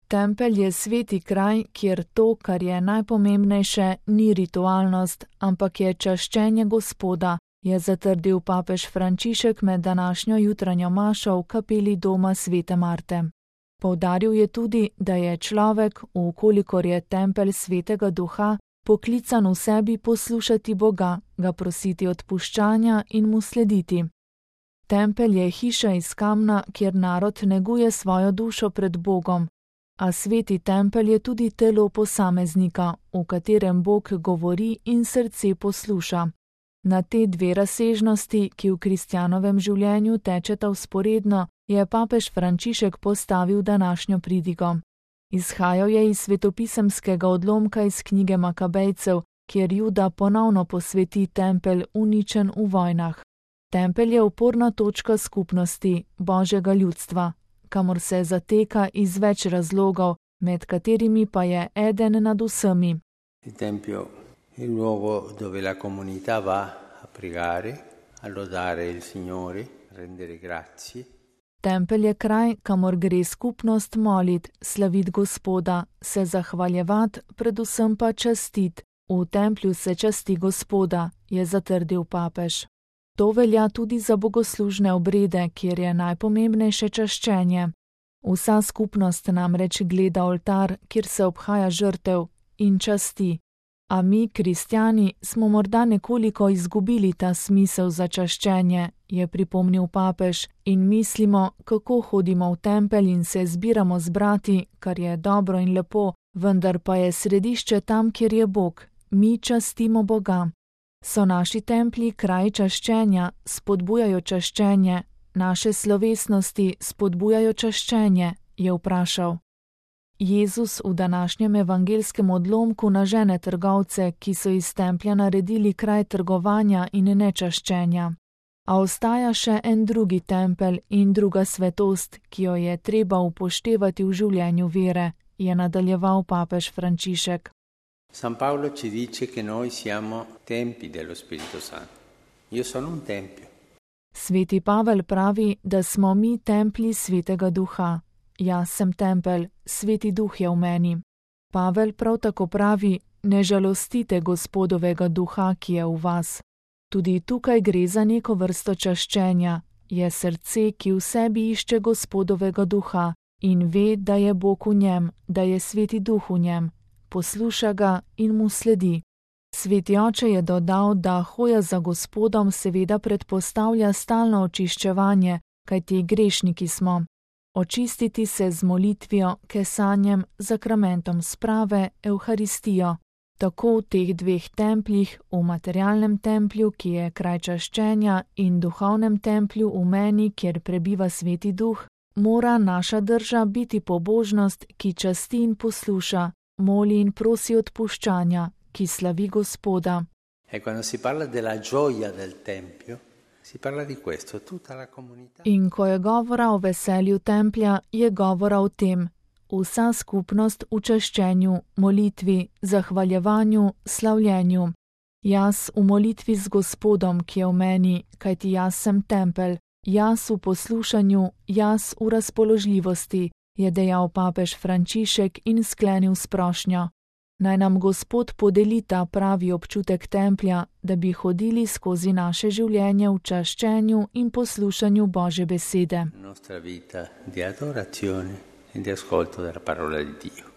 Tempelj je sveti kraj, kjer to, kar je najpomembnejše, ni ritualnost, ampak je čaščenje Gospoda, je zatrdil papež Frančišek med današnjo jutranjo mašo v kapeli doma svete Marte. Poudaril je tudi, da je človek, vkolikor je tempelj svetega duha, poklican v sebi poslušati Boga, ga prositi odpuščanja in mu slediti. Tempelj je hiša iz kamna, kjer narod neguje svojo dušo pred Bogom, a sveti tempelj je tudi telo posameznika, v katerem Bog govori in srce posluša. Na te dve razsežnosti, ki v kristjanovem življenju tečeta vzporedno, je papež Frančišek postavil današnjo pridigo. Izhajal je iz svetopisemskega odlomka iz knjige Makabejcev, kjer Juda ponovno posveti tempelj uničen v vojnah. Tempelj je oporna točka skupnosti, Božjega ljudstva, kamor se zateka iz več razlogov, med katerimi pa je eden nad vsemi. Il tempio è il luogo dove la comunità va a pregare, a lodare il Signore, rendere grazie. Tempelj je kraj, kamor gre skupnost molit, slavit Gospoda, se zahvaljevat, predvsem pa častit. V templju se časti Gospoda, je zatrdil papež. To velja tudi za bogoslužne obrede, kjer je najpomembnejše čaščenje. Vsa skupnost namreč gleda oltar, kjer se obhaja žrtev in časti. A mi, kristjani, smo morda nekoliko izgubili ta smisel za čaščenje, je pripomnil papež, in mislimo, kako hodimo v tempelj in se zbiramo z brati, kar je dobro in lepo, vendar pa je središče tam, kjer je Bog. Mi častimo Boga. So naši templji kraj čaščenja, spodbujajo čaščenje, naše slovesnosti spodbujajo čaščenje, je vprašal. Jezus v današnjem evangelskem odlomku nažene trgovce, ki so iz templja naredili kraj trgovanja in nečaščenja. A ostaja še en drugi tempelj in druga svetost, ki jo je treba upoštevati v življenju vere, je nadaljeval papež Frančišek. San Paolo ci dice che noi siamo tempi dello Spirito Santo. Io sono un tempio. Sveti Pavel pravi, da smo mi templji svetega duha. Jaz sem tempelj, sveti duh je v meni. Pavel prav tako pravi, ne žalostite Gospodovega duha, ki je v vas. Tudi tukaj gre za neko vrsto čaščenja, je srce, ki v sebi išče Gospodovega duha in ve, da je Bog v njem, da je sveti duh v njem. Posluša ga in mu sledi. Sveti oče je dodal, da hoja za Gospodom seveda predpostavlja stalno očiščevanje, kajti grešniki smo. Očistiti se z molitvijo, kesanjem, zakramentom sprave, evharistijo. Tako v teh dveh templjih, v materialnem templju, ki je kraj čaščenja, in duhovnem templju v meni, kjer prebiva sveti duh, mora naša drža biti pobožnost, ki časti in posluša, moli in prosi odpuščanja, ki slavi Gospoda. E quando si parla della gioia del tempio, si parla di questo, tutta la comunità. In ko je govora o veselju templja, je govora o tem. Vsa skupnost v čaščenju, molitvi, zahvaljevanju, slavljenju. Jaz v molitvi z Gospodom, ki je v meni, kajti jaz sem tempelj, jaz v poslušanju, jaz v razpoložljivosti, je dejal papež Frančišek in sklenil s prošnjo. Naj nam Gospod podeli ta pravi občutek templja, da bi hodili skozi naše življenje v čaščenju in poslušanju Božje besede. Nostra vita di adorazione e di ascolto della parola di Dio.